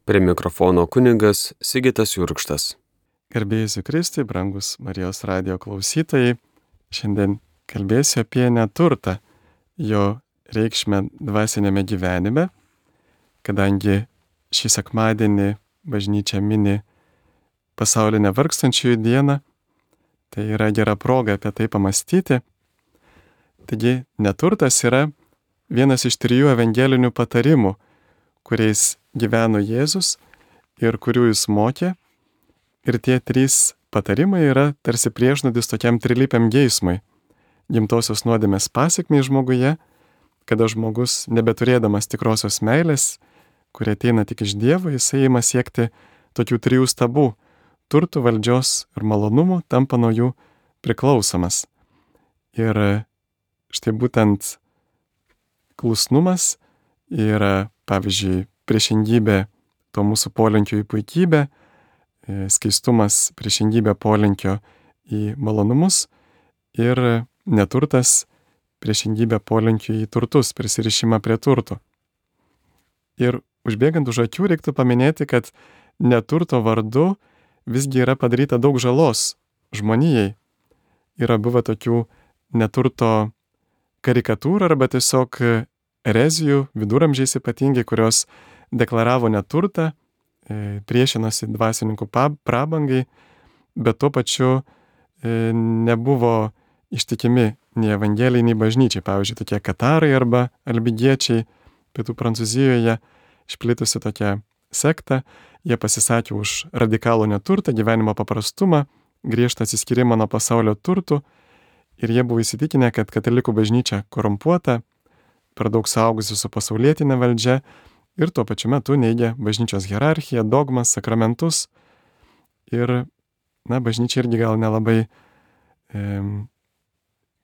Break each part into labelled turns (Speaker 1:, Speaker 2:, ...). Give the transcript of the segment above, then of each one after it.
Speaker 1: Prie mikrofono kunigas Sigitas Jurkštas.
Speaker 2: Garbė Jėzui Kristui, brangus Marijos radijo klausytojai, šiandien kalbėsiu apie neturtą, jo reikšmę dvasinėme gyvenime, kadangi šį sekmadienį bažnyčia mini pasaulinę vargstančiųjų dieną, tai yra gera proga apie tai pamastyti. Taigi neturtas yra vienas iš 3 evangelinių patarimų, kuriais gyveno Jėzus ir kurių jis mokė. Ir tie 3 patarimai yra tarsi priežodis tokiam trilypiam geismui. Gimtosios nuodėmės pasekmei žmoguje, kada žmogus, nebeturėdamas tikrosios meilės, kurie ateina tik iš Dievo, jisai ima siekti tokių 3 stabų - turtų, valdžios ir malonumų, tampa nuo jų priklausomas. Ir štai būtent klusnumas yra, pavyzdžiui, priešingybė to mūsų polinkio į puikybę, skaistumas priešingybė polinkio į malonumus ir neturtas priešingybė polinkio į turtus, prisirišimą prie turtų. Ir užbėgant už akių reiktų paminėti, kad neturto vardu visgi yra padaryta daug žalos žmonijai. Yra buvę tokių neturto karikatūrų arba tiesiog erezijų, viduramžiais ypatingai, kurios deklaravo neturtą, priešinosi dvasininkų prabangai, bet tuo pačiu nebuvo ištikimi nei evangelijai, nei bažnyčiai. Pavyzdžiui, tokie katarai arba albigiečiai pietų Prancūzijoje išplitusi tokia sekta, jie pasisakė už radikalų neturtą, gyvenimo paprastumą, griežtą atsiskyrimą nuo pasaulio turtų ir jie buvo įsitikinę, kad katalikų bažnyčia korumpuota, per daug saugusi su pasaulietinė valdžia ir tuo pačiu metu neigia bažnyčios hierarchiją, dogmas, sakramentus. Ir, bažnyčia irgi gal nelabai,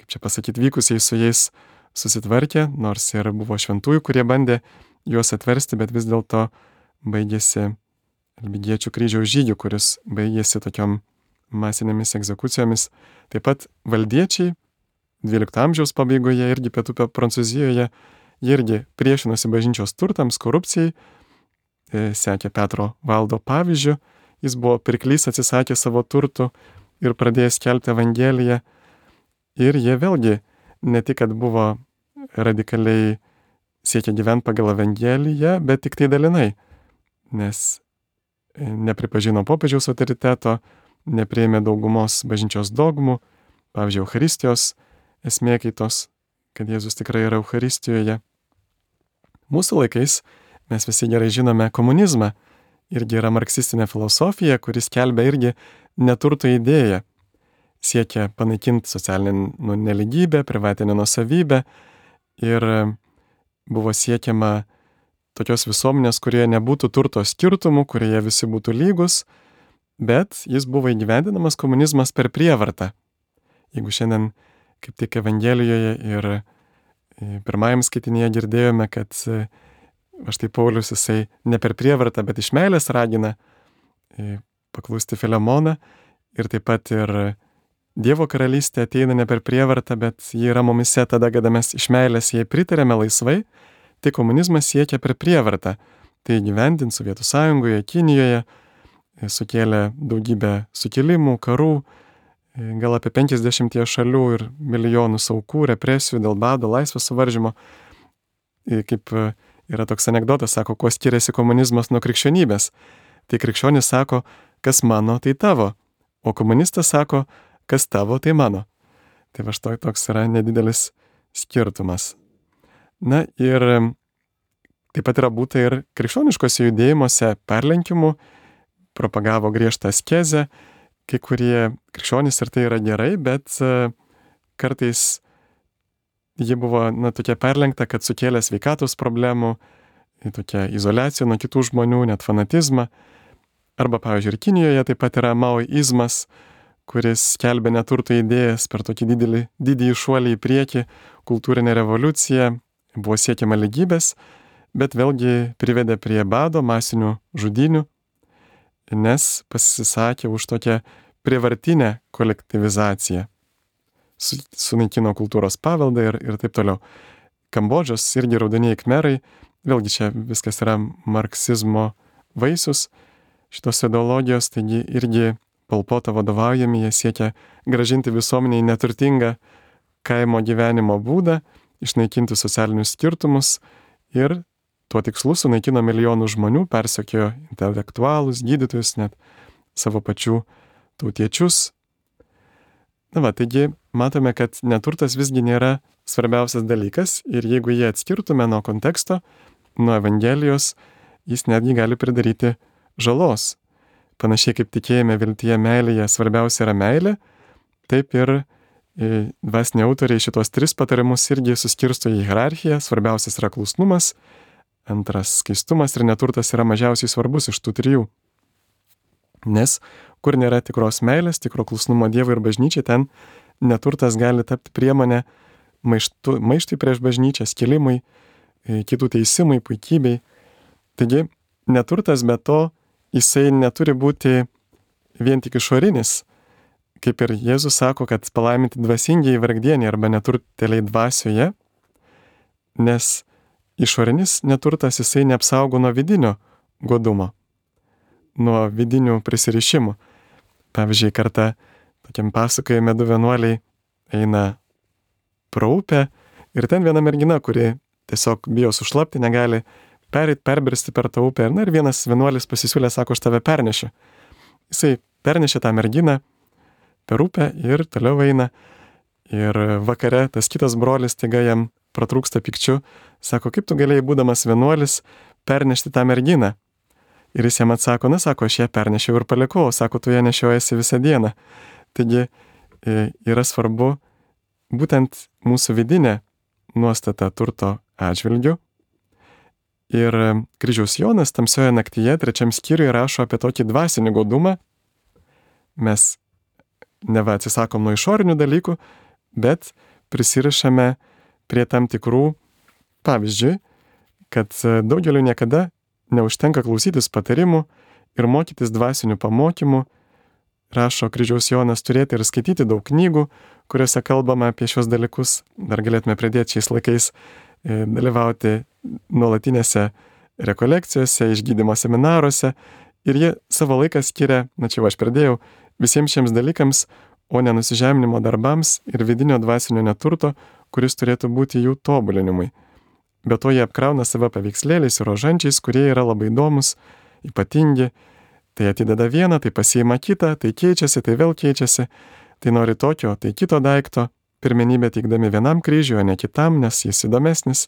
Speaker 2: vykusiai su jais susitvarkė, nors ir buvo šventųjų, kurie bandė juos atversti, bet vis dėlto baigėsi albigiečių kryžiaus žygių, kuris baigėsi tokiom masinėmis egzekucijomis. Taip pat valdiečiai 12 amžiaus pabaigoje irgi pietų Prancūzijoje, jie irgi priešinosi bažnyčios turtams, korupcijai, sekė Petro Valdo pavyzdžiu, jis buvo pirklys, atsisakė savo turtų ir pradėjo skelbti evangeliją. Ir jie vėlgi ne tik, kad buvo radikaliai siekia gyventi pagal evangeliją, bet tik tai dalinai, nes nepripažino popiežiaus autoriteto, nepriėmė daugumos bažnyčios dogmų, pavyzdžiui, Eucharistijos esmė kaitos, kad Jėzus tikrai yra Eucharistijoje. Mūsų laikais mes visi gerai žinome komunizmą, irgi yra marksistinė filosofija, kuris skelbia irgi neturto idėją, siekia panaikinti socialinę nelygybę, privatinę nuosavybę ir buvo siekiama tokios visuomenės, kurioje nebūtų turto skirtumų, kurioje visi būtų lygus, bet jis buvo įgyvendinamas komunizmas per prievartą. Jeigu šiandien kaip tik Evangelijoje ir pirmajam skaitinėje girdėjome, kad štai Paulius jisai ne per prievartą, bet iš meilės ragina paklusti Filemoną ir taip pat ir Dievo karalystė ateina ne per prievartą, bet ji yra mumise tada, kada mes iš meilės jai pritarėme laisvai, tai komunizmas siekia per prievartą. Tai įgyvendint Sovietų Sąjungoje, Kinijoje, sukėlė daugybę sukilimų, karų, gal apie 50 šalių ir milijonus aukų, represijų dėl bado, laisvės suvaržymo. Kaip yra toks anekdotas, sako, kuo skiriasi komunizmas nuo krikščionybės. Tai krikščionis sako, kas mano, tai tavo, o komunistas sako, kas tavo, tai mano. Tai va štai toks yra nedidelis skirtumas. Na ir taip pat yra būta ir krikščioniškose judėjimuose perlenkimų, propagavo griežtą askezę, kai kurie krikščionys ir tai yra gerai, bet kartais ji buvo tokia perlenkta, kad sukėlė sveikatos problemų, tokia izoliacija nuo kitų žmonių, net fanatizmą. Arba, pavyzdžiui, ir Kinijoje taip pat yra maoizmas, kuris skelbė neturto idėjas per tokį didįjį šuolį į priekį, kultūrinę revoliuciją, buvo siekiama lygybės, bet vėlgi privedė prie bado, masinių žudynių, nes pasisakė už tokią prievartinę kolektyvizaciją. Sunaikino kultūros paveldą ir taip toliau. Kambodžos irgi raudonieji khmerai, vėlgi čia viskas yra marksizmo vaisius šitos ideologijos, taigi irgi Pol Poto vadovaujami, jie siekia gražinti visuomeniai neturtingą kaimo gyvenimo būdą, išnaikinti socialinius skirtumus ir tuo tikslu sunaikino milijonų žmonių, persekiojo intelektualus, gydytojus, net savo pačių tautiečius. Taigi matome, kad neturtas visgi nėra svarbiausias dalykas ir jeigu jį atskirtume nuo konteksto, nuo Evangelijos, jis netgi gali pridaryti žalos. Panašiai kaip tikėjime, viltyje, meilėje svarbiausia yra meilė, taip ir dvasiniai autoriai šitos 3 patarimus irgi suskirsto į hierarchiją. Svarbiausias yra klusnumas, antras skaistumas ir neturtas yra mažiausiai svarbus iš tų 3. Nes kur nėra tikros meilės, tikro klusnumo Dievui ir bažnyčiai, ten neturtas gali tapti priemonė maištui prieš bažnyčią, skilimui, kitų teisimui, puikybei. Taigi neturtas be to jisai neturi būti vien tik išorinis. Kaip ir Jėzus sako, kad palaiminti dvasingieji vargdieniai arba neturtėliai dvasioje, nes išorinis neturtas jisai neapsaugo nuo vidinio godumo, nuo vidinių prisirišimų. Pavyzdžiui, kartą tokiam pasakojime 2 vienuoliai eina pro upę ir ten viena mergina, kuri tiesiog bijo sušlapti, negali perbristi per tą upę. Ir vienas vienuolis pasisiūlė, sako, aš tave pernešiu. Jisai pernešė tą merginą per upę ir toliau eina. Ir vakare tas kitas brolis taiga jam pratrūksta pykčiu, sako, kaip tu galėjai, būdamas vienuolis, pernešti tą merginą? Ir jis jam atsako, sako, aš ją pernešiau ir palikau, sako, tu ją nešiojasi visą dieną. Taigi yra svarbu būtent mūsų vidinė nuostata turto atžvilgiu. Ir Kryžiaus Jonas Tamsioje naktyje 3 skyriuje rašo apie tokį dvasinį godumą. Mes neva atsisakom nuo išorinių dalykų, bet prisirišame prie tam tikrų, pavyzdžiui, kad daugeliu niekada neužtenka klausytis patarimų ir mokytis dvasinių pamokymų. Rašo Kryžiaus Jonas, turėti ir skaityti daug knygų, kuriuose kalbama apie šios dalykus. Dar galėtume pradėti šiais laikais dalyvauti nuolatinėse rekolekcijose, išgydymo seminaruose. Ir jie savo laiką skiria, čia aš pradėjau, visiems šiems dalykams, o ne nusižeminimo darbams ir vidinio dvasinio neturto, kuris turėtų būti jų tobulinimui. Be to jie apkrauna save paveikslėliais ir rožančiais, kurie yra labai įdomus, ypatingi. Tai atideda vieną, tai pasiima kitą, tai keičiasi, tai vėl keičiasi, tai nori tokio, tai kito daikto, pirmenybę teikdami vienam kryžiui, o ne kitam, nes jis įdomesnis.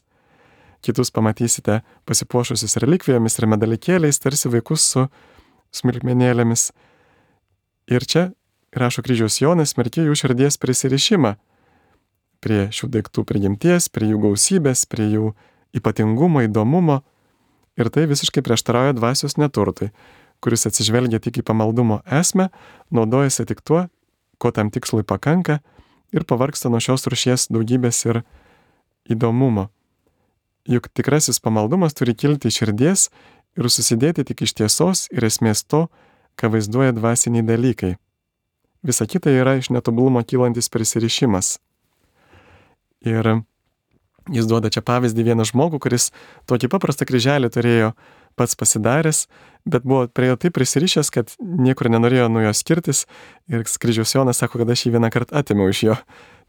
Speaker 2: Kitus pamatysite pasipuošusius relikvijomis ir medalikėliais, tarsi vaikus su smulkmenėlėmis. Ir čia, rašo Kryžiaus Jonas, smerkia jų širdies prisirišimą prie šių daiktų prigimties, prie jų gausybės, prie jų ypatingumo, įdomumo. Ir tai visiškai prieštarauja dvasios neturtui, kuris atsižvelgia tik į pamaldumo esmę, naudojasi tik tuo, ko tam tikslui pakanka ir pavargsta nuo šios rūšies daugybės ir įdomumo. Juk tikrasis pamaldumas turi kilti iš širdies ir susidėti tik iš tiesos ir esmės to, ką vaizduoja dvasiniai dalykai. Visa kita yra iš netobulumo kylantis prisirišimas. Ir jis duoda čia pavyzdį vieną žmogų, kuris tokį paprastą kryželį turėjo pats pasidaręs, bet buvo prie jo taip prisirišęs, kad niekur nenorėjo nuo jo skirtis. Ir Kryžiaus Jonas sako, kad aš jį vieną kartą atėmiau iš jo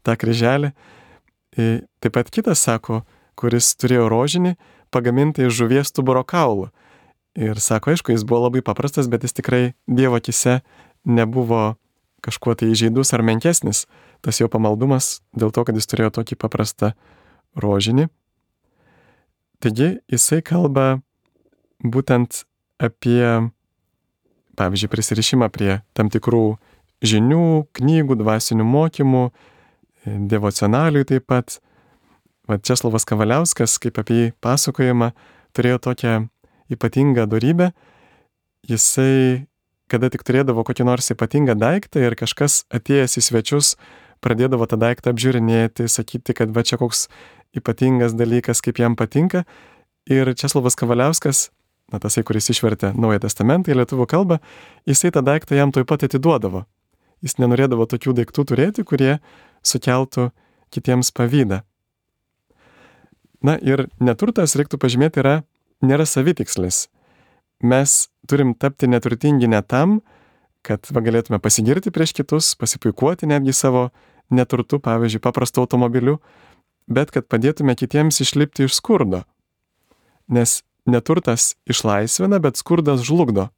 Speaker 2: tą kryželį. Taip pat kitas sako, kuris turėjo rožinį pagamintą iš žuvies stuburo kaulų. Ir sako, aišku, jis buvo labai paprastas, bet jis tikrai Dievo akise nebuvo kažkuo tai įžeidus ar menkesnis. Tas jo pamaldumas dėl to, kad jis turėjo tokį paprastą rožinį. Taigi jisai kalba būtent apie, pavyzdžiui, prisirišimą prie tam tikrų žinių, knygų, dvasinių mokymų, devocionalių taip pat. Česlovas Kavaliauskas, kaip apie jį pasakojama, turėjo tokią ypatingą dorybę. Jisai, kada tik turėdavo kokį nors ypatingą daiktą ir kažkas atėjęs į svečius, pradėdavo tą daiktą apžiūrinėti, sakyti, kad va čia koks ypatingas dalykas, kaip jam patinka. Ir Česlovas Kavaliauskas, tasai, kuris išvertė Naują Testamentą į lietuvių kalbą, jisai tą daiktą jam tuoj pat atiduodavo. Jis nenorėdavo tokių daiktų turėti, kurie sukeltų kitiems pavydą. Ir neturtas, reiktų pažymėti, nėra savitikslis. mes turim tapti neturtingi ne tam, kad galėtume pasigirti prieš kitus, pasipuikuoti netgi savo neturtu, pavyzdžiui, paprastu automobiliu, bet kad padėtume kitiems išlipti iš skurdo. Nes neturtas išlaisvina, bet skurdas žlugdo.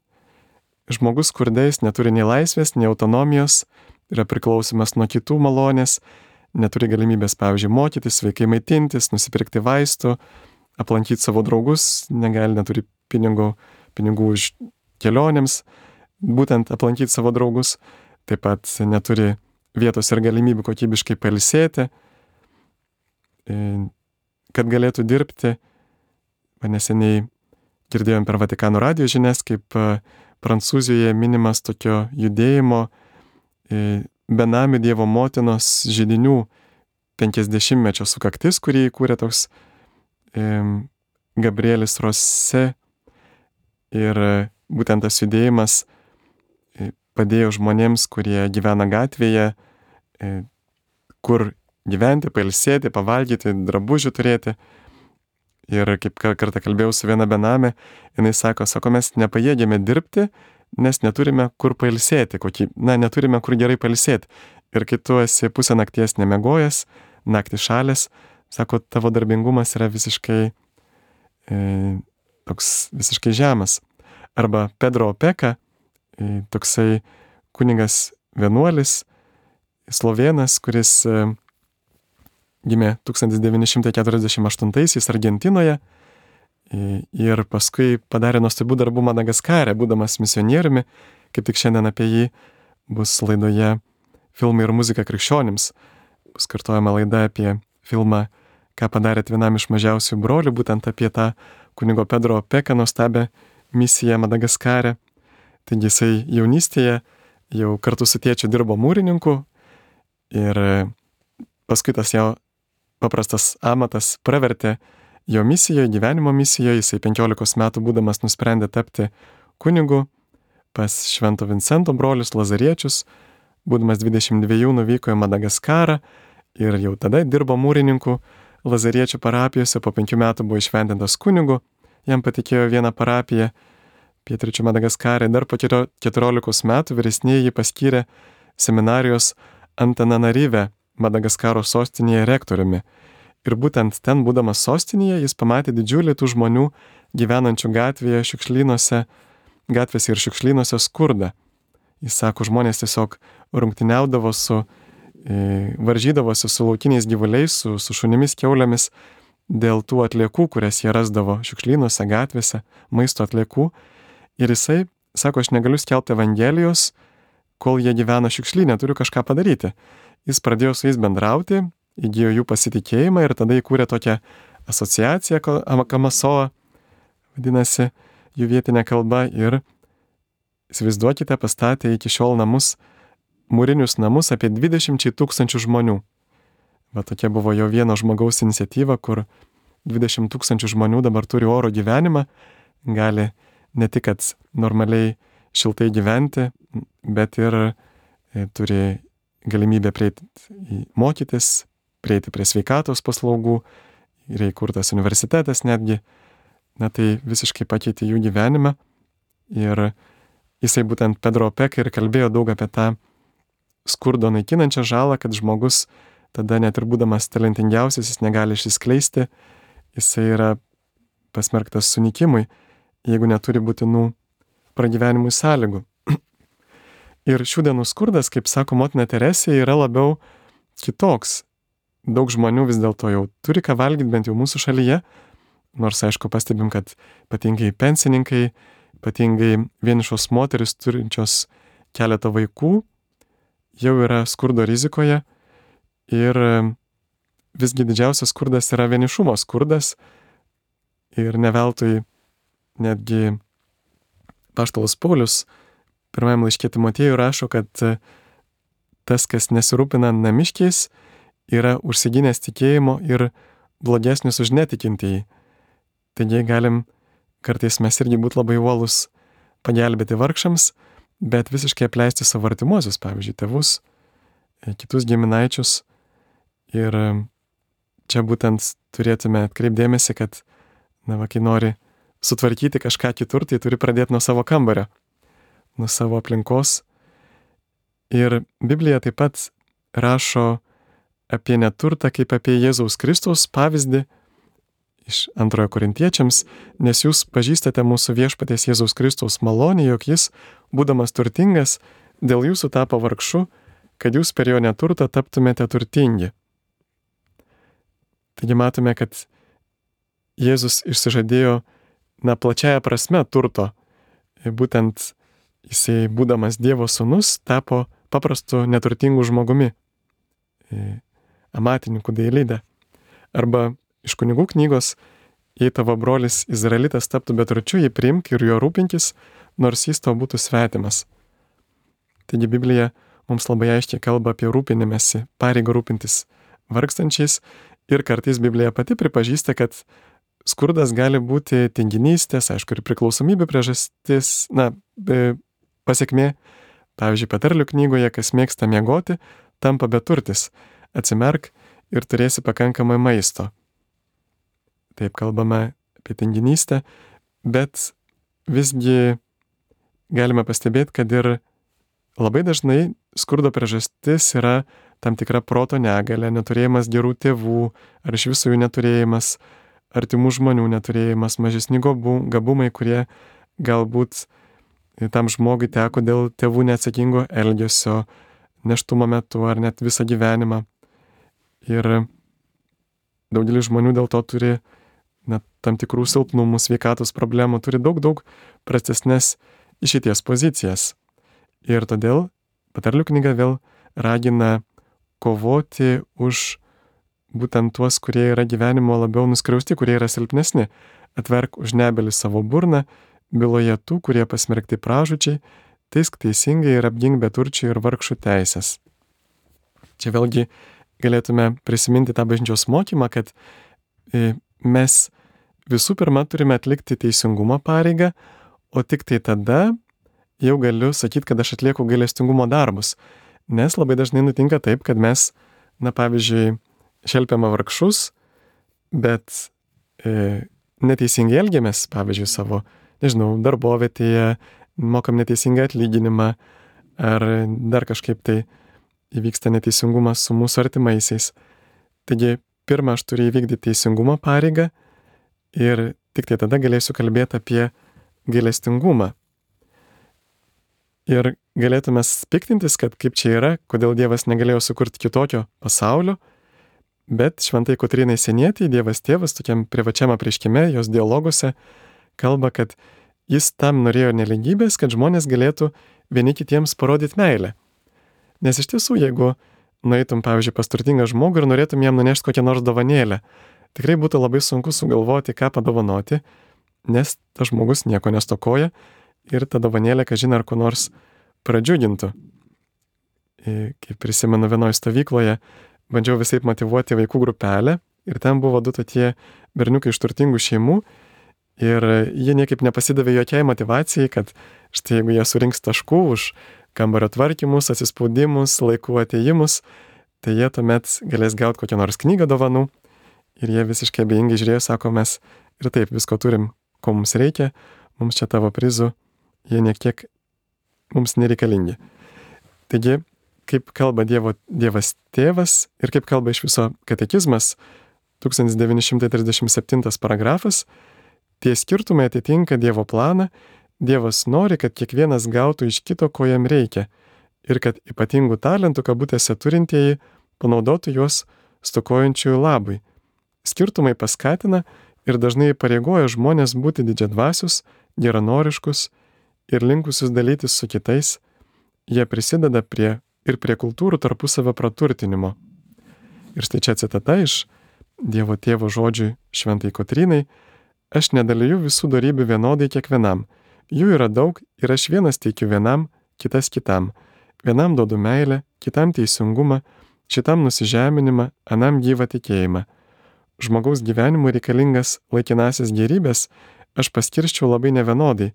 Speaker 2: Žmogus skurdais neturi nei laisvės, nei autonomijos, yra priklausomas nuo kitų malonės, neturi galimybės, pavyzdžiui, mokytis, sveikai maitintis, nusipirkti vaistų, aplankyti savo draugus, neturi pinigų už kelionėms, būtent aplankyti savo draugus, taip pat neturi vietos ir galimybių kokybiškai pailsėti, kad galėtų dirbti. Neseniai girdėjom per Vatikano radijo žinias, kaip Prancūzijoje minimas tokio judėjimo benamių Dievo motinos židinių 50-mečio sukaktis, kurį įkūrė toks Gabrielis Rose. Ir būtent tas judėjimas padėjo žmonėms, kurie gyvena gatvėje, kur gyventi, pailsėti, pavalgyti, drabužių turėti. Ir kaip kartą kalbėjau su viena benamė, jinai sako, mes nepajėgėme dirbti, nes neturime kur pailsėti, neturime kur gerai pailsėti. Ir kai tu esi pusę nakties nemegojęs, naktį šalės, sako, tavo darbingumas yra visiškai visiškai žemas. Arba Pedro Opeka, toksai kunigas vienuolis, slovėnas, kuris gimė 1948 Argentinoje ir paskui padarė nuostabių darbų Madagaskare, būdamas misionieriumi. Kaip tik šiandien apie jį bus laidoje Filmai ir muzika krikščionims. Bus kartojama laida apie filmą Ką padarėt vienam iš mažiausių brolių, būtent apie tą kunigo Pedro Opeka nuostabią misiją Madagaskare. Taigi jisai jaunystėje jau kartu su tėčiu dirbo mūrininku ir paskui tas jo paprastas amatas pravertė jo misijoje, gyvenimo misijoje. Jisai 15 metų būdamas nusprendė tapti kunigu pas Švento Vincento brolius Lazariečius. Būdamas 22 nuvyko į Madagaskarą ir jau tada dirbo mūrininku Lazariečių parapijose. Po 5 metų buvo įšventintas kunigu. Jam patikėjo vieną parapiją pietryčių Madagaskare. Dar po 14 metų vyresnieji jį paskyrė seminarijos Antananarive, Madagaskaro sostinėje rektoriumi. Ir būtent ten, būdamas sostinėje, jis pamatė didžiulį tų žmonių gyvenančių gatvėse ir šiukšlynuose skurdą. Jis sako, žmonės tiesiog rungtyniaudavo varžydavosi su laukiniais gyvuliais, su šunimis, kiaulėmis dėl tų atliekų, kurias jie rasdavo šiukšlynuose, gatvėse, maisto atliekų. Ir jisai sako, aš negaliu skelbti Evangelijos, kol jie gyvena šiukšlyne, turiu kažką padaryti. Jis pradėjo su jais bendrauti, įgijo jų pasitikėjimą ir tada įkūrė tokią asociaciją, Kamasoa, vadinasi jų vietinė kalba, ir įsivaizduokite, pastatė iki šiol mūrinius namus apie 20 000 žmonių. Va tokia buvo jo vieno žmogaus iniciatyva, kur 20 000 žmonių dabar turi oro gyvenimą, gali ne tik kad normaliai šiltai gyventi, bet ir turi galimybę mokytis, prieiti prie sveikatos paslaugų, yra įkurtas universitetas netgi. Tai visiškai pakeitė jų gyvenimą. Ir jisai būtent Pedro Opeka ir kalbėjo daug apie tą skurdo naikinančią žalą, kad žmogus tada net ir būdamas talentingiausias, jis negali išsiskleisti, jisai yra pasmerktas sunykimui, jeigu neturi būtinų pragyvenimui sąlygų. Ir šių dienų skurdas, kaip sako motina Teresė, yra labiau kitoks. Daug žmonių vis dėlto jau turi ką valgyti, bent jau mūsų šalyje, nors aišku pastebim, kad ypatingai pensininkai, ypatingai vienišos moteris turinčios keletą vaikų, jau yra skurdo rizikoje. Ir visgi didžiausias skurdas yra vienišumo skurdas. Ir ne veltui netgi apaštalas Paulius pirmajam laiške Timotiejui rašo, kad tas, kas nesirūpina namiškiais, yra užsiginęs tikėjimo ir blogesnis už netikintįjį. Taigi galim kartais mes irgi būti labai uolus pagelbėti vargšams, bet visiškai apleisti savo artimuosius, pavyzdžiui, tėvus, kitus giminaičius. Ir čia būtent turėtume atkreipdėmėsi, kad kai nori sutvarkyti kažką kitur, tai turi pradėti nuo savo kambario, nuo savo aplinkos. Ir Biblija taip pat rašo apie neturtą kaip apie Jėzaus Kristaus pavyzdį iš 2 Korintiečiams, nes jūs pažįstate mūsų viešpaties Jėzaus Kristaus malonę, jog jis, būdamas turtingas, dėl jūsų tapo vargšu, kad jūs per jo neturtą taptumėte turtingi. Taigi matome, kad Jėzus išsižadėjo, plačiaja prasme turto. Būtent jisai, būdamas Dievo sūnus, tapo paprastu neturtingu žmogumi, amatininku dailidė. Arba iš kunigų knygos, jei tavo brolis Izraelitas taptų beturčiu, jį priimk ir jo rūpinkis, nors jis tau būtų svetimas. Taigi Biblija mums labai aiškiai kalba apie rūpinimąsi, pareigą rūpintis vargstančiais, ir kartais Biblija pati pripažįsta, kad skurdas gali būti tinginystės, aišku, ir priklausomybė priežastis, pasekmė. Pavyzdžiui, Patarlių knygoje, kas mėgsta miegoti, tampa beturtis. Atsimerk ir turėsi pakankamai maisto. Taip kalbame apie tinginystę, bet visgi galime pastebėti, kad ir labai dažnai skurdo priežastis yra tam tikra proto negalia, neturėjimas gerų tėvų, ar iš viso jų neturėjimas, artimų žmonių neturėjimas, mažesni gabumai, kurie galbūt tam žmogui teko dėl tėvų neatsakingo elgesio, nėštumo metu ar net visą gyvenimą. Ir daugelis žmonių dėl to turi tam tikrų silpnumų, sveikatos problemų, turi daug prastesnes išeities pozicijas. Ir todėl Patarlių knyga vėl ragina kovoti už būtent tuos, kurie yra gyvenimo labiau nuskriausti, kurie yra silpnesni. Atverk už nebelį savo burną, byloje tų, kurie pasmerkti pražūčiai, teisk teisingai ir apgink beturčių ir vargšų teisės. Čia vėlgi galėtume prisiminti tą bažnyčios mokymą, kad mes visų pirma turime atlikti teisingumo pareigą, o tik tai tada jau galiu sakyti, kad aš atlieku gailestingumo darbus. Nes labai dažnai nutinka taip, kad mes, pavyzdžiui, šelpiame vargšus, bet neteisingai elgiamės, pavyzdžiui, savo, darbovietėje, mokam neteisingą atlyginimą, ar dar kažkaip tai įvyksta neteisingumas su mūsų artimaisiais. Taigi, pirmą aš turiu įvykdyti teisingumo pareigą ir tik tai tada galėsiu kalbėti apie gailestingumą. Ir galėtume piktintis, kad kaip čia yra, kodėl Dievas negalėjo sukurti kitokio pasaulio, bet šventai Kotrynai Sienietei Dievas Tėvas tokiam privačiam apreiškime, jos dialoguose kalba, kad jis tam norėjo nelygybės, kad žmonės galėtų vieni kitiems parodyti meilę. Nes iš tiesų, jeigu nueitum, pavyzdžiui, pas turtingą žmogų ir norėtum jam nunešti kokią nors dovanėlę, tikrai būtų labai sunku sugalvoti, ką padovanoti, nes tas žmogus nieko nestokoja ir ta dovanėlė, kažin ar ko nors pradžiugintų. Kaip prisimenu, vienoje stovykloje bandžiau visaip motyvuoti vaikų grupelę ir ten buvo 2 tokie berniukai iš turtingų šeimų ir jie niekaip nepasidavė jokiai motyvacijai, kad štai jeigu jie surinks taškų už kambario tvarkymus, atsispaudimus, laikų atėjimus, tai jie tuomet galės gauti kokią nors knygą dovanų. Ir jie visiškai abejingai žiūrėjo, sako, mes ir taip visko turim, ko mums reikia, mums čia tavo prizų, jie niekiek mums nereikalingi. Taigi, kaip kalba Dievas Tėvas ir kaip kalba iš viso katekizmas, 1937 paragrafas, tie skirtumai atitinka Dievo planą. Dievas nori, kad kiekvienas gautų iš kito, ko jam reikia, ir kad ypatingų talentų kabutėse turintieji panaudotų juos stokojančiųjų labui. Skirtumai paskatina ir dažnai įpareigoja žmonės būti didžiadvasius, geranoriškus ir linkusius dalytis su kitais. Jie prisideda prie kultūrų tarpusavio praturtinimo. Ir štai čia citata iš Dievo Tėvo žodžių šventai Kotrynai: aš nedaliju visų dorybių vienodai kiekvienam. Jų yra daug ir aš vienas teikiu vienam, kitas kitam. Vienam duodu meilę, kitam teisingumą, šitam nusižeminimą, anam gyvą tikėjimą. Žmogaus gyvenimui reikalingas laikinasis gėrybės aš paskirščiau labai nevienodai,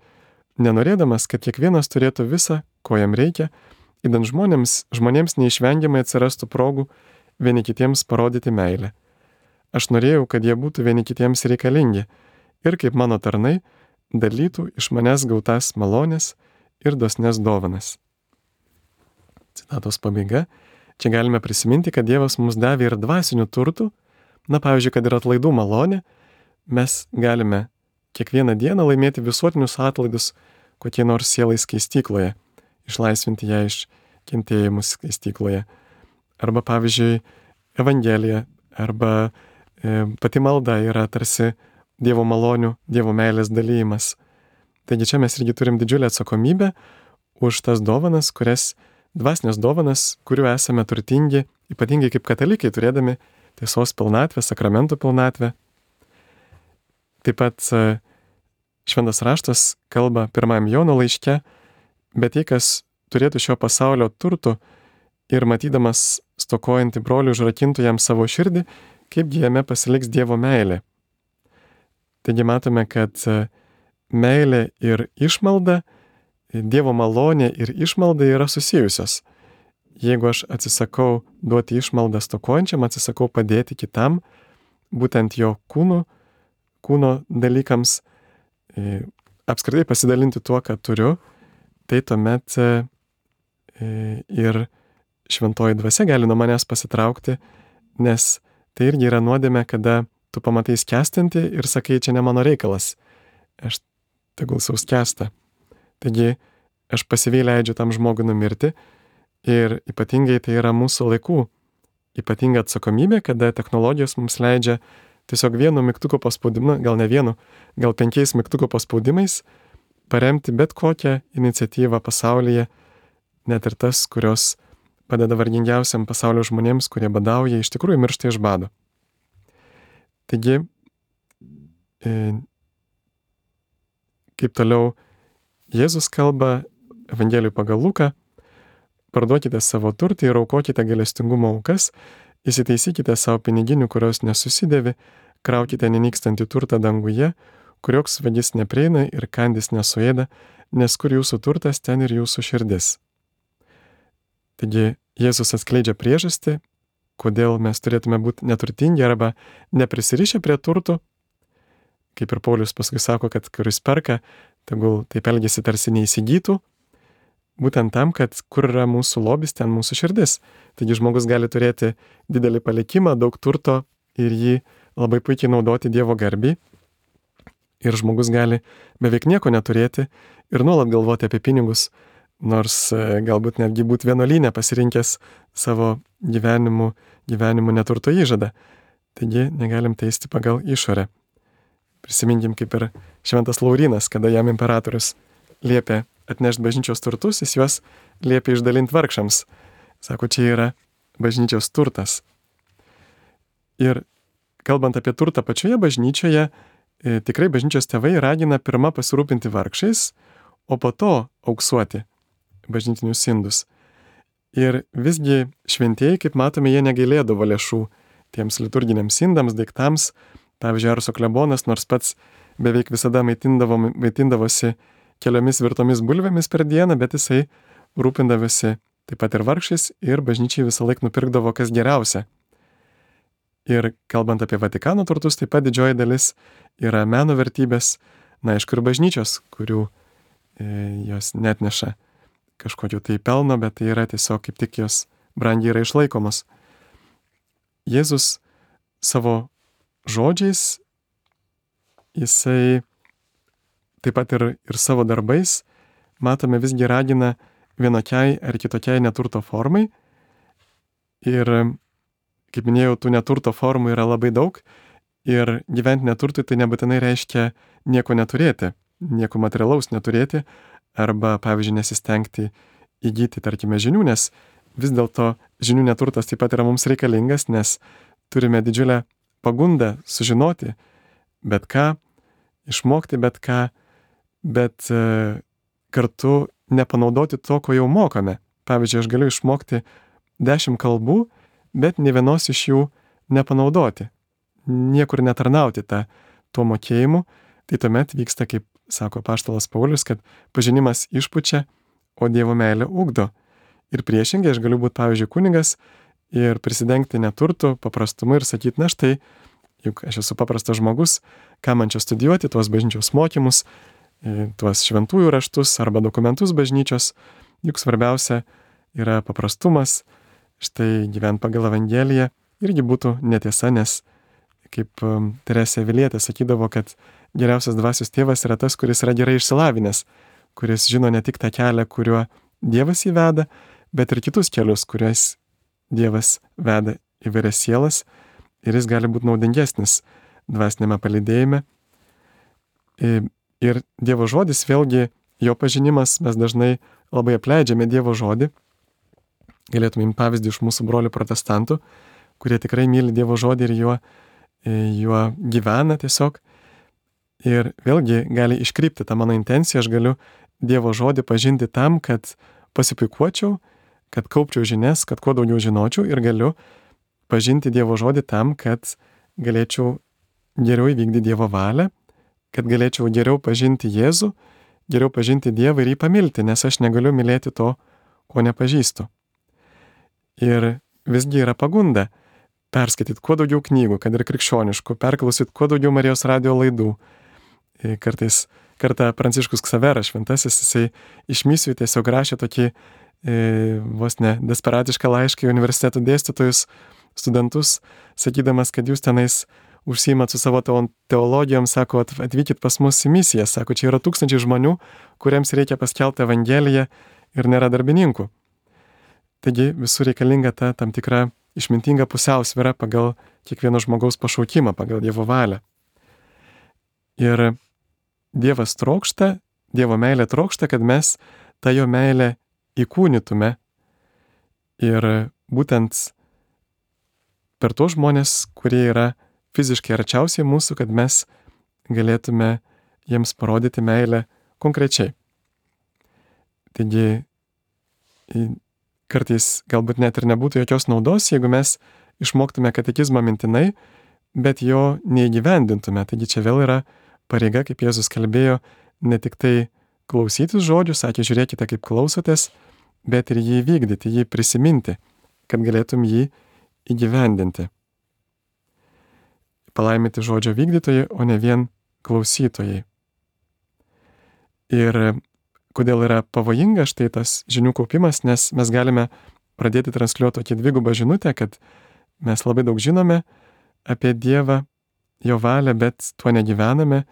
Speaker 2: nenorėdamas, kad kiekvienas turėtų visą, ko jam reikia, idant žmonėms neišvengiamai atsirastų progų vieni kitiems parodyti meilę. Aš norėjau, kad jie būtų vieni kitiems reikalingi ir kaip mano tarnai dalytų iš manęs gautas malonės ir dosnes dovanas. Citatos pabaiga. Čia galime prisiminti, kad Dievas mums davė ir dvasinių turtų. Pavyzdžiui, kad ir atlaidų malonė, mes galime kiekvieną dieną laimėti visuotinius atlaidus kokie nors sielai skaistykloje, išlaisvinti ją iš kentėjimų skaistykloje. Arba, pavyzdžiui, Evangelija, arba pati malda yra tarsi Dievo malonių, Dievo meilės dalyjimas. Taigi čia mes irgi turim didžiulę atsakomybę už tas dovanas, dvasinės dovanas, kurių esame turtingi, ypatingai kaip katalikai, turėdami tiesos pilnatvę, sakramentų pilnatvę. Taip pat Šventas raštas kalba 1 Jono laiške, bet jei kas turėtų šio pasaulio turtų ir matydamas stokojantį brolių užrakintų jam savo širdį, kaipgi jame pasiliks Dievo meilė. Taigi matome, kad meilė ir išmalda, Dievo malonė ir išmalda yra susijusios. Jeigu aš atsisakau duoti išmaldą stokojančiam, atsisakau padėti kitam, būtent jo kūno dalykams, apskritai pasidalinti tuo, ką turiu, tai tuomet ir šventoji dvasia gali nuo manęs pasitraukti, nes tai irgi yra nuodėmė, kada tu pamatai skęstantį ir sakai, čia ne mano reikalas, aš tegul sau skęsta. Taigi aš pasyviai leidžiu tam žmogui numirti ir ypatingai tai yra mūsų laikų ypatinga atsakomybė, kada technologijos mums leidžia tiesiog vienu mygtuko paspaudimu, gal ne vienu, gal 5 mygtuko paspaudimais paremti bet kokią iniciatyvą pasaulyje, net ir tas, kurios padeda vargingiausiam pasaulio žmonėms, kurie badauja, iš tikrųjų miršta iš bado. Taigi, kaip toliau Jėzus kalba Evangelijų pagal Luką, parduokite savo turtą ir aukokite gailestingumo aukas, įsitaisykite savo piniginių, kurios nesusidėvi, kraukite nenykstantį turtą danguje, kur joks vagis neprieina ir kandis nesuėda, nes kur jūsų turtas, ten ir jūsų širdis. Taigi Jėzus atskleidžia priežastį, kodėl mes turėtume būti neturtingi arba neprisirišę prie turtų. Kaip ir Paulius paskui sako, kad kuris perka, tegul taip elgiasi tarsi neįsigytų, būtent tam, kad kur yra mūsų lobis, ten mūsų širdis. Taigi žmogus gali turėti didelį palikimą, daug turto ir jį labai puikiai naudoti Dievo garbei. Ir žmogus gali beveik nieko neturėti ir nuolat galvoti apie pinigus, nors galbūt netgi būti vienuolyne pasirinkęs savo gyvenimu neturto įžadą. Taigi negalim teisti pagal išorę. Prisiminkim kaip ir Šventas Laurynas, kada jam imperatorius liepė atnešti bažnyčios turtus, jis juos liepė išdalinti vargšams. Sako, čia yra bažnyčios turtas. Ir kalbant apie turtą pačioje bažnyčioje, tikrai bažnyčios tėvai ragina pirmą pasirūpinti vargšais, o po to auksuoti bažnytinius indus. Ir visgi šventieji, kaip matome, jie negailėdavo lėšų tiems liturginiams indams, daiktams. Pavyzdžiui, Arso klebonas, nors pats beveik visada maitindavosi keliomis virtomis bulvėmis per dieną, bet jisai rūpindavosi taip pat ir vargšais ir bažnyčiai visą laiką nupirkdavo kas geriausia. Ir kalbant apie Vatikano turtus, taip pat didžioji dalis yra meno vertybės, aišku, ir bažnyčios, kurių jos netneša kažkokio tai pelno, bet tai yra tiesiog kaip tik jos brangiai yra išlaikomos. Jėzus savo žodžiais, jisai taip pat ir savo darbais, matome, visgi ragina vienokiai ar kitokiai neturto formai. Ir, kaip minėjau, tų neturto formų yra labai daug. Ir gyventi neturtui tai nebūtinai reiškia nieko neturėti, nieko materialaus neturėti, arba, pavyzdžiui, nesistengti įgyti, tarkime, žinių, nes vis dėlto žinių neturtas taip pat yra mums reikalingas, nes turime didžiulę pagundą sužinoti bet ką, išmokti bet ką, bet kartu nepanaudoti to, ko jau mokame. Pavyzdžiui, aš galiu išmokti 10 kalbų, bet ne vienos iš jų nepanaudoti, niekur netarnauti tuo mokėjimu. Tai tuomet vyksta, kaip sako apaštalas Paulius, kad pažinimas išpučia, o Dievo meilė ugdo. Ir priešingai, aš galiu būti, pavyzdžiui, kunigas ir prisidengti neturtų, paprastumu ir sakyti, na štai, juk aš esu paprastas žmogus, ką man čia studijuoti, tuos bažnyčios mokymus, tuos šventųjų raštus arba dokumentus bažnyčios, juk svarbiausia yra paprastumas, štai gyvent pagal Evangeliją irgi būtų netiesa, nes kaip Teresė Avilietė sakydavo, kad geriausias dvasios tėvas yra tas, kuris yra gerai išsilavinęs, kuris žino ne tik tą kelią, kuriuo Dievas įveda, bet ir kitus kelius, kuriais Dievas veda įvairias sielas ir jis gali būti naudingesnis dvasinėme palydėjime. Ir Dievo žodis, vėlgi jo pažinimas, mes dažnai labai apleidžiame Dievo žodį. Galėtume imti pavyzdį iš mūsų brolių protestantų, kurie tikrai myli Dievo žodį ir juo gyvena tiesiog. Ir vėlgi gali iškrypti tą mano intenciją, aš galiu Dievo žodį pažinti tam, kad pasipuikuočiau, kad kaupčiau žinias, kad kuo daugiau žinočiau ir galiu pažinti Dievo žodį tam, kad galėčiau geriau įvykdyti Dievo valią, kad galėčiau geriau pažinti Jėzų, geriau pažinti Dievą ir jį pamilti, nes aš negaliu mylėti to, ko nepažįstu. Ir visgi yra pagunda perskaityti kuo daugiau knygų, kad ir krikščioniškų, perklausyti kuo daugiau Marijos radijo laidų. Kartą Pranciškus Ksaveras šventasis, jisai iš misijų tiesiog rašė tokį vos ne desperatišką laišką į universiteto dėstytojus, studentus, sakydamas, kad jūs tenais užsiimat su savo teologijom, sako, atvykit pas mus į misiją, sako, čia yra 1000 žmonių, kuriems reikia paskelbti Evangeliją ir nėra darbininkų. Taigi visur reikalinga ta tam tikra išmintinga pusiausvyra pagal kiekvieno žmogaus pašaukimą, pagal Dievo valią. Ir Dievas trokšta, Dievo meilė trokšta, kad mes tą jo meilę įkūnytume ir būtent per tos žmonės, kurie yra fiziškai arčiausiai mūsų, kad mes galėtume jiems parodyti meilę konkrečiai. Taigi, kartais galbūt net ir nebūtų jokios naudos, jeigu mes išmoktume katekizmą mintinai, bet jo neįgyvendintume. Taigi čia vėl yra pareiga, kaip Jėzus kalbėjo, ne tik tai klausytis žodžių, sakė, žiūrėkite, kaip klausotės, bet ir jį vykdyti, jį prisiminti, kad galėtum jį įgyvendinti. Palaiminti žodžio vykdytojai, o ne vien klausytojai. Ir kodėl yra pavojinga štai tas žinių kaupimas, nes mes galime pradėti transliuoti tokį dvigubą žinutę, kad mes labai daug žinome apie Dievą, jo valią, bet tuo negyvename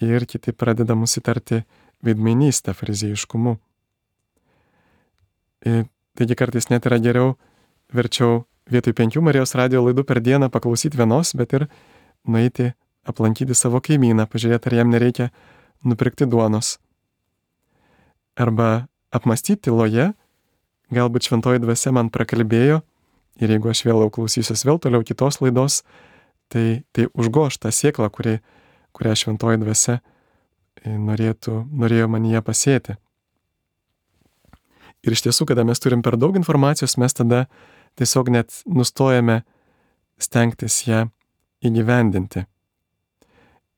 Speaker 2: ir kiti pradeda mus įtarti veidmainystę, fariziejiškumu. Taigi kartais net yra geriau, verčiau vietoj 5 Marijos radijo laidų per dieną paklausyti vienos, bet ir nueiti aplankyti savo kaimyną, pažiūrėti, ar jam nereikia nupirkti duonos. Arba apmastyti tyloje, galbūt šventoji dvasia man prakalbėjo ir jeigu aš vėl klausysiuos vėl toliau kitos laidos, tai užgoš tą sėklą, kurią šventoji dvasia norėjo manyje pasėti. Ir iš tiesų, kada mes turim per daug informacijos, mes tada tiesiog net nustojame stengtis ją įgyvendinti.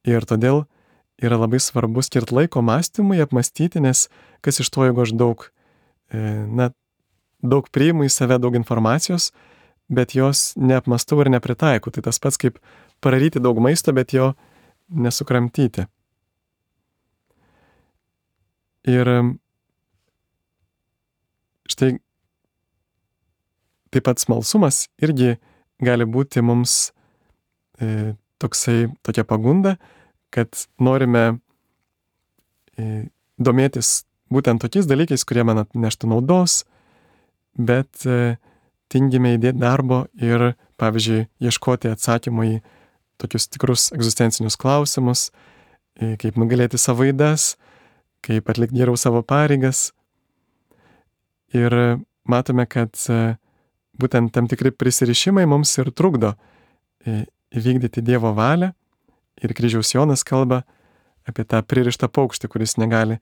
Speaker 2: Ir todėl yra labai svarbu skirti laiko mąstymui, apmastyti, nes kas iš to, jeigu aš daug priimu į save, daug informacijos, bet jos neapmastau ir nepritaikau. Tai tas pats kaip pararyti daug maisto, bet jo nesukramtyti. Ir štai taip pat smalsumas irgi gali būti mums tokia pagunda, kad norime domėtis būtent tokiais dalykais, kurie man atneštų naudos, bet tingime įdėti darbo ir, pavyzdžiui, ieškoti atsakymų į tokius tikrus egzistencinius klausimus, kaip nugalėti savo ydas, kaip atlikti geriau savo pareigas. Ir matome, kad būtent tam tikri prisirišimai mums ir trukdo įvykdyti Dievo valią. Ir Kryžiaus Jonas kalba apie tą pririštą paukštį, kuris negali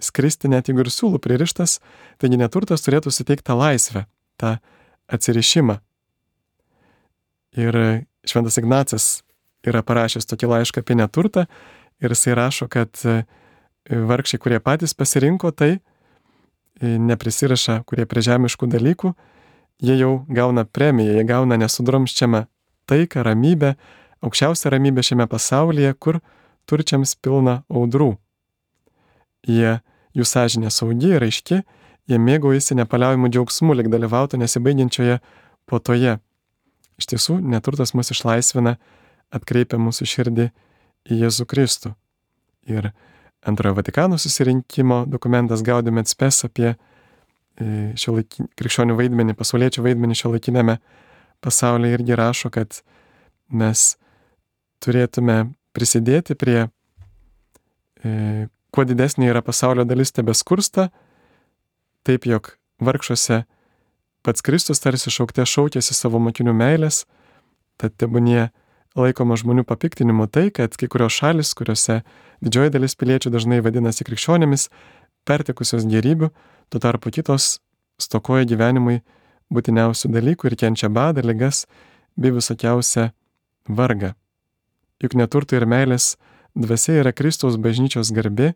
Speaker 2: skristi net jeigu ir siūlų pririštas. Taigi neturtas turėtų suteikti tą laisvę, tą atsirišimą. Ir Šventas Ignacas yra parašęs tokį laišką apie neturtą ir jisai rašo, kad vargšiai, kurie patys pasirinko tai, neprisiraša, kurie prie žemiškų dalykų, jie jau gauna premiją, jie gauna nesudromščiamą taiką, ramybę, aukščiausia ramybė šiame pasaulyje, kur turčiams pilna audrų. Jų sąžinė saugi ir aiški, jie mėgaujasi nepaliaujamu džiaugsmu, lyg dalyvautų nesibaigiančioje puotoje. Iš tiesų, neturtas mus išlaisvina, atkreipia mūsų širdį į Jėzų Kristų. Ir Antrojo Vatikano susirinkimo dokumentas Gaudium et Spes apie krikščionių vaidmenį, pasauliečių vaidmenį šiuolaikinėme pasaulyje irgi rašo, kad mes turėtume prisidėti prie kuo didesnė yra pasaulio dalis tebeskursta, taip jog vargšuose pats Kristus tarsi šaukte šaukėsi savo mokinių meilės, tad tebūnie laikoma žmonių papiktinimu tai, kad kai kurios šalis, kuriuose didžioji dalis piliečių dažnai vadinasi krikščionimis, pertekusios gėrybių, tuo tarpu kitos stokoja gyvenimui būtiniausių dalykų ir kenčia badą, ligas bei visokiausią vargą. Juk neturto ir meilės dvasia yra Kristaus bažnyčios garbė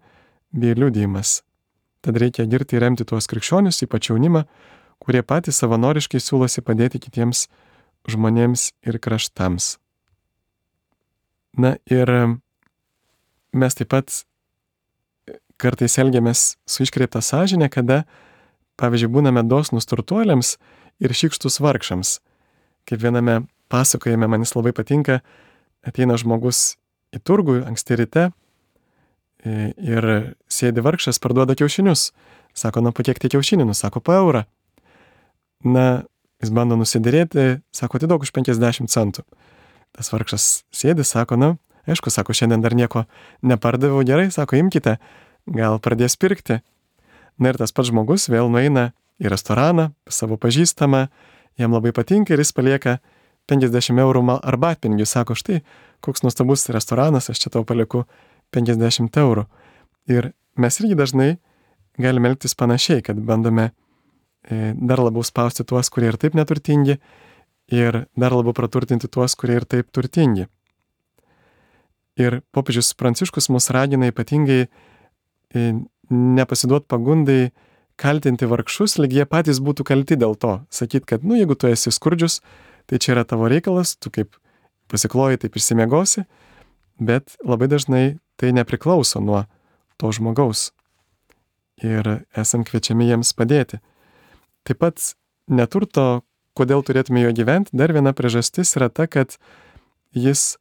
Speaker 2: bei liudijimas. Tad reikia girti ir remti tuos krikščionius, ypač jaunimą, kurie patys savanoriškai siūlosi padėti kitiems žmonėms ir kraštams. Na ir mes taip pat kartais elgiamės su iškreipta sąžinė, kada, pavyzdžiui, būname dosnūs turtuoliams ir šykštus vargšams. Kaip viename pasakojime, man jis labai patinka, ateina žmogus į turgų anksti ryte ir sėdi vargšas, parduoda kiaušinius. Sako, nu, po kiek tie kiaušinių? Sako, po eurą. Na, jis bando nusidėrėti, sako, atiduok už 50 centų. Tas vargšas sėdi, sako, nu, aišku, sako, šiandien dar nieko nepardaviau, gerai, sako, imkite, gal pradės pirkti. Na ir tas pats žmogus vėl nueina į restoraną, savo pažįstamą, jam labai patinka ir jis palieka 50 eurų arbatpinigių, sako, štai, koks nuostabus restoranas, aš čia tau palieku 50 eurų. Ir mes irgi dažnai galime elgtis panašiai, kad bandome dar labiau spausti tuos, kurie ir taip neturtingi, ir dar labiau praturtinti tuos, kurie ir taip turtingi. Ir popiežius Pranciškus mus ragina ypatingai nepasiduot pagundai kaltinti vargšus, lyg jie patys būtų kalti dėl to. Sakyt, kad, nu, jeigu tu esi skurdžius, tai čia yra tavo reikalas, tu kaip pasikloji, taip išsimiegosi, bet labai dažnai tai nepriklauso nuo to žmogaus. Ir esam kviečiami jiems padėti. Taip pat neturto, kodėl turėtume jo gyventi, dar viena priežastis yra ta, kad jis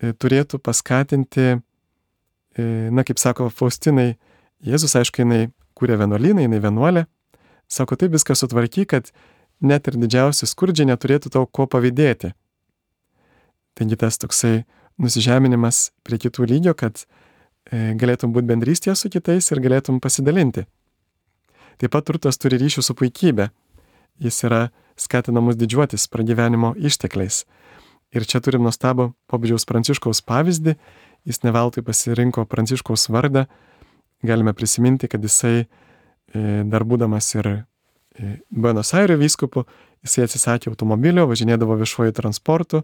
Speaker 2: turėtų paskatinti, na, kaip sako Faustinai, Jėzus, aišku, jinai kūrė vienuolyną, jinai vienuolė, sako, taip viską sutvarky, kad net ir didžiausi skurdžiai neturėtų tau ko pavydėti. Taigi tas toksai nusižeminimas prie kitų lygio, kad galėtum būti bendrystėje su kitais ir galėtum pasidalinti. Taip pat turtas turi ryšių su puikybė. Jis yra skatinamus didžiuotis pragyvenimo ištekliais. Ir čia turim nuostabų popiežiaus Pranciškaus pavyzdį. Jis ne veltui pasirinko Pranciškaus vardą. Galime prisiminti, kad jisai dar būdamas ir Buenos Airių vyskupu, jisai atsisakė automobilio, važinėdavo viešuoju transportu,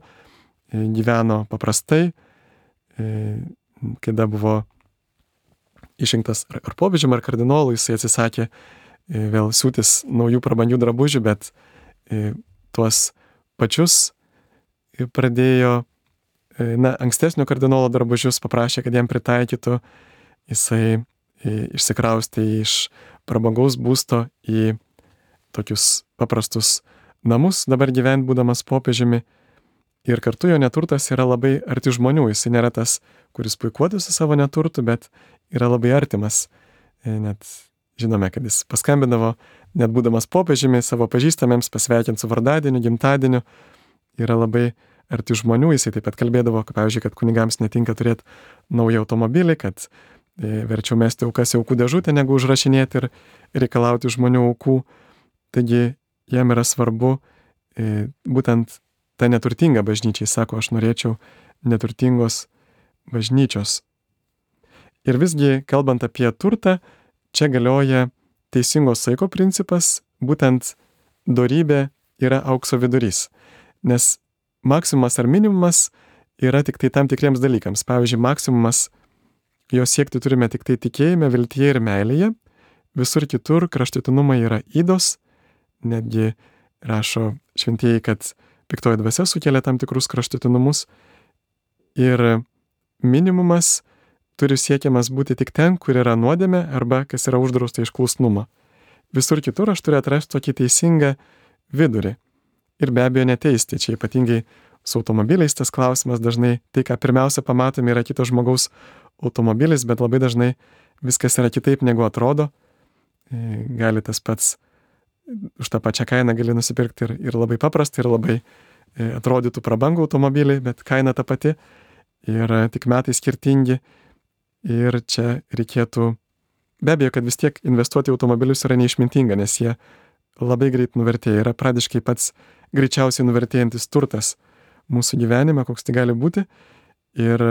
Speaker 2: gyveno paprastai, kada buvo išrinktas ar popiežium, ar kardinolu, jisai atsisakė vėl siūtis naujų prabangių drabužių, bet tuos pačius pradėjo, na, ankstesnio kardinolo drabužius paprašė, kad jam pritaikytų. Jisai išsikraustė iš prabangaus būsto į tokius paprastus namus, dabar gyvent būdamas popiežiumi. Ir kartu jo neturtas yra labai arti žmonių. Jisai nėra tas, kuris puikuotųsi savo neturtu, bet yra labai artimas. Net žinome, kad jis paskambindavo, net būdamas popiežiumi, savo pažįstamiems pasveikinti su vardadieniu, gimtadieniu. Yra labai arti žmonių. Jisai taip pat kalbėdavo, kad, pavyzdžiui, kad kunigams netinka turėti naują automobilį, kad verčiau mesti aukas į aukų dėžutę, negu užrašinėti ir reikalauti žmonių aukų. Taigi jam yra svarbu būtent ta neturtinga bažnyčia. Jis sako, aš norėčiau neturtingos bažnyčios. Ir visgi, kalbant apie turtą, čia galioja teisingo saiko principas, būtent dorybė yra aukso vidurys. Nes maksimumas ar minimumas yra tik tai tam tikriems dalykams. Pavyzdžiui, maksimumas jo siekti turime tik tai tikėjime, viltyje ir meilėje. Visur kitur kraštutinumai yra ydos. Netgi rašo šventieji, kad piktoji dvasia sukelia tam tikrus kraštutinumus. ir minimumas turi siekiamas būti tik ten, kur yra nuodėmė arba kas yra uždrausta iš klusnumo. Visur kitur aš turiu atrasti tokį teisingą vidurį. Ir be abejo neteisti. Čia ypatingai su automobiliais tas klausimas dažnai, tai ką pirmiausia pamatome yra kito žmogaus automobilis, bet labai dažnai viskas yra kitaip negu atrodo. Gali tas pats, už tą pačią kainą gali nusipirkti ir labai paprastą, ir labai atrodytų prabangų automobilį, bet kaina ta pati ir tik metai skirtingi. Ir čia reikėtų, be abejo, kad vis tiek investuoti į automobilius yra neišmintinga, nes jie labai greit nuvertėja, yra pradiškai pats greičiausiai nuvertėjantis turtas mūsų gyvenime, koks tai gali būti. Ir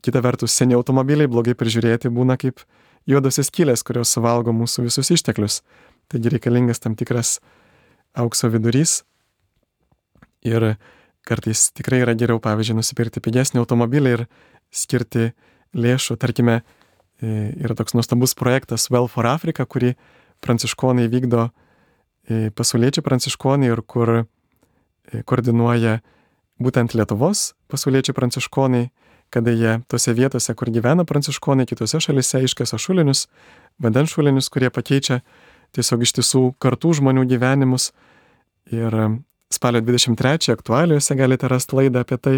Speaker 2: kita vertus, seni automobiliai blogai prižiūrėti būna kaip juodosios skylės, kurios suvalgo mūsų visus išteklius. Taigi reikalingas tam tikras aukso vidurys. Ir kartais tikrai yra geriau, pavyzdžiui, nusipirkti pigesnį automobilį ir skirti lėšų. Tarkime, yra toks nuostabus projektas Well for Africa, kurį pranciškonai vykdo, pasauliečiai pranciškonai, ir kur koordinuoja būtent Lietuvos pasauliečiai pranciškonai, kada jie tose vietose, kur gyvena pranciškonai, kitose šalise iškasa šulinius, vandens šulinius, kurie pakeičia tiesiog iš tiesų kartų žmonių gyvenimus. Ir spalio 23 aktualijose galite rasti laidą apie tai.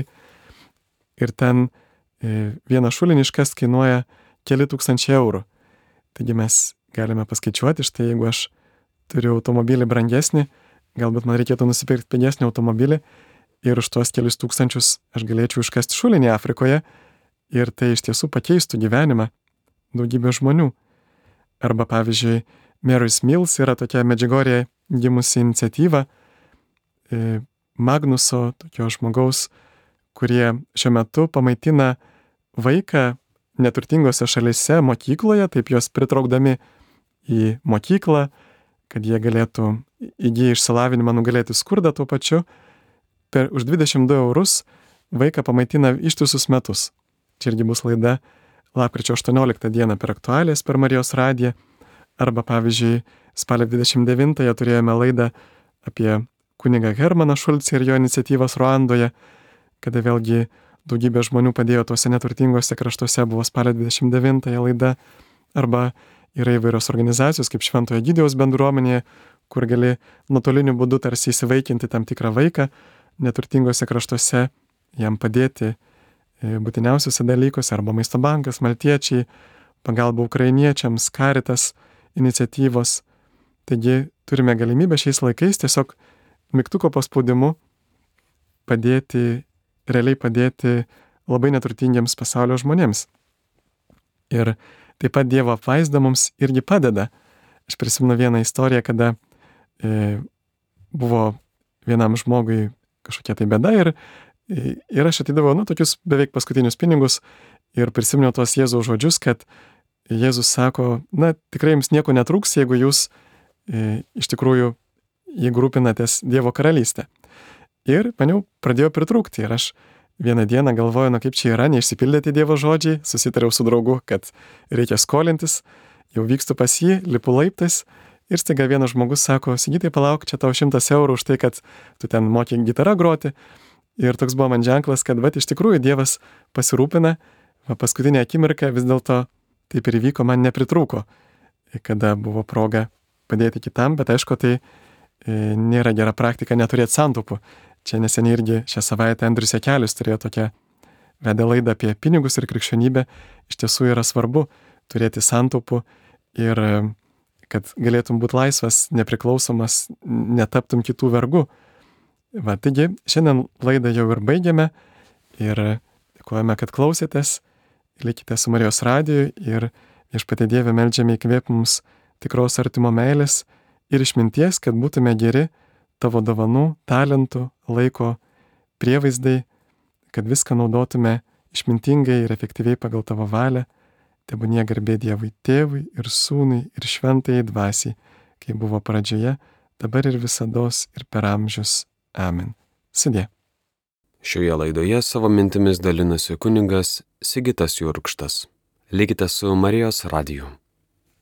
Speaker 2: Ir ten vieną šulinį iškast kainuoja keli tūkstančiai eurų. Taigi mes galime paskaičiuoti, štai jeigu aš turiu automobilį brangesnį, galbūt man reikėtų nusipirkti pigesnį automobilį ir už tuos kelius tūkstančius aš galėčiau iškasti šulinį Afrikoje ir tai iš tiesų pakeistų gyvenimą daugybė žmonių. Arba pavyzdžiui, Mary's Mills yra tokia Medžiugorėje gimusi iniciatyva Magnuso, tokio žmogaus, kurie šiuo metu pamaitina vaiką neturtingose šalyse mokykloje, taip juos pritraukdami į mokyklą, kad jie galėtų įgyję išsilavinimą nugalėti skurdą tuo pačiu. Už 22 eurus vaiką pamaitina ištisus metus. Čia irgi bus laida lapkričio 18 dieną per aktualijas per Marijos radiją. Arba pavyzdžiui, spalio 29 turėjome laidą apie kunigą Hermaną Šulcą ir jo iniciatyvas Ruandoje, kada vėlgi daugybė žmonių padėjo tuose neturtingose kraštuose, buvo spalio 29 laida. Arba yra įvairios organizacijos kaip Šventojo Egidijaus bendruomenėje, kur gali nuotoliniu būdu tarsi įsivaikinti tam tikrą vaiką neturtingose kraštuose, jam padėti būtiniausiuose dalykuose, arba Maisto bankas, maltiečiai, pagalba ukrainiečiams, Caritas iniciatyvos. Taigi turime galimybę šiais laikais tiesiog mygtuko paspaudimu realiai padėti labai neturtingiems pasaulio žmonėms. Ir taip pat Dievo apvaizda mums irgi padeda. Aš prisimenu vieną istoriją, kada buvo vienam žmogui kažkokia tai bėda ir aš atidavau tokius beveik paskutinius pinigus ir prisiminiau tuos Jėzaus žodžius, kad Jėzus sako, tikrai jums nieko netrūks, jeigu jūs iš tikrųjų, jeigu rūpinatės Dievo karalystę. Ir man jau pradėjo pritrūkti ir aš vieną dieną galvoju, kaip čia yra, neišsipildyti Dievo žodžiai, susitariau su draugu, kad reikia skolintis, jau vykstu pas jį, lipu laiptais ir staiga vienas žmogus sako, Sigitai, palauk, čia tau 100 eurų už tai, kad tu ten moki gitarą groti. Ir toks buvo man ženklas, kad iš tikrųjų Dievas pasirūpina, paskutinę akimirką vis dėlto taip ir įvyko, man nepritrūko, kada buvo proga padėti kitam, bet aišku, tai nėra gera praktika neturėti santaupų. Čia neseniai irgi šią savaitę Andrius Jakelis turėjo tokią vedė laidą apie pinigus ir krikščionybę. Iš tiesų yra svarbu turėti santaupų ir kad galėtum būti laisvas, nepriklausomas, netaptum kitų vergų. Taigi, šiandien laidą jau ir baigiame ir dėkojame, kad klausėtės. Likite su Marijos radiju ir Viešpatie Dieve meldžiame įkvėp mums tikros artimo meilės ir išminties, kad būtume geri tavo dovanų, talentų, laiko prievaizdai, kad viską naudotume išmintingai ir efektyviai pagal tavo valią. Tebūnie garbė Dievui Tėvui ir Sūnui ir Šventajai Dvasiai, kaip buvo pradžioje, dabar ir visados ir per amžius. Amen. Sudie.
Speaker 1: Šioje laidoje savo mintimis dalinasi kunigas Sigitas Jurkštas. Likite su Marijos radiju.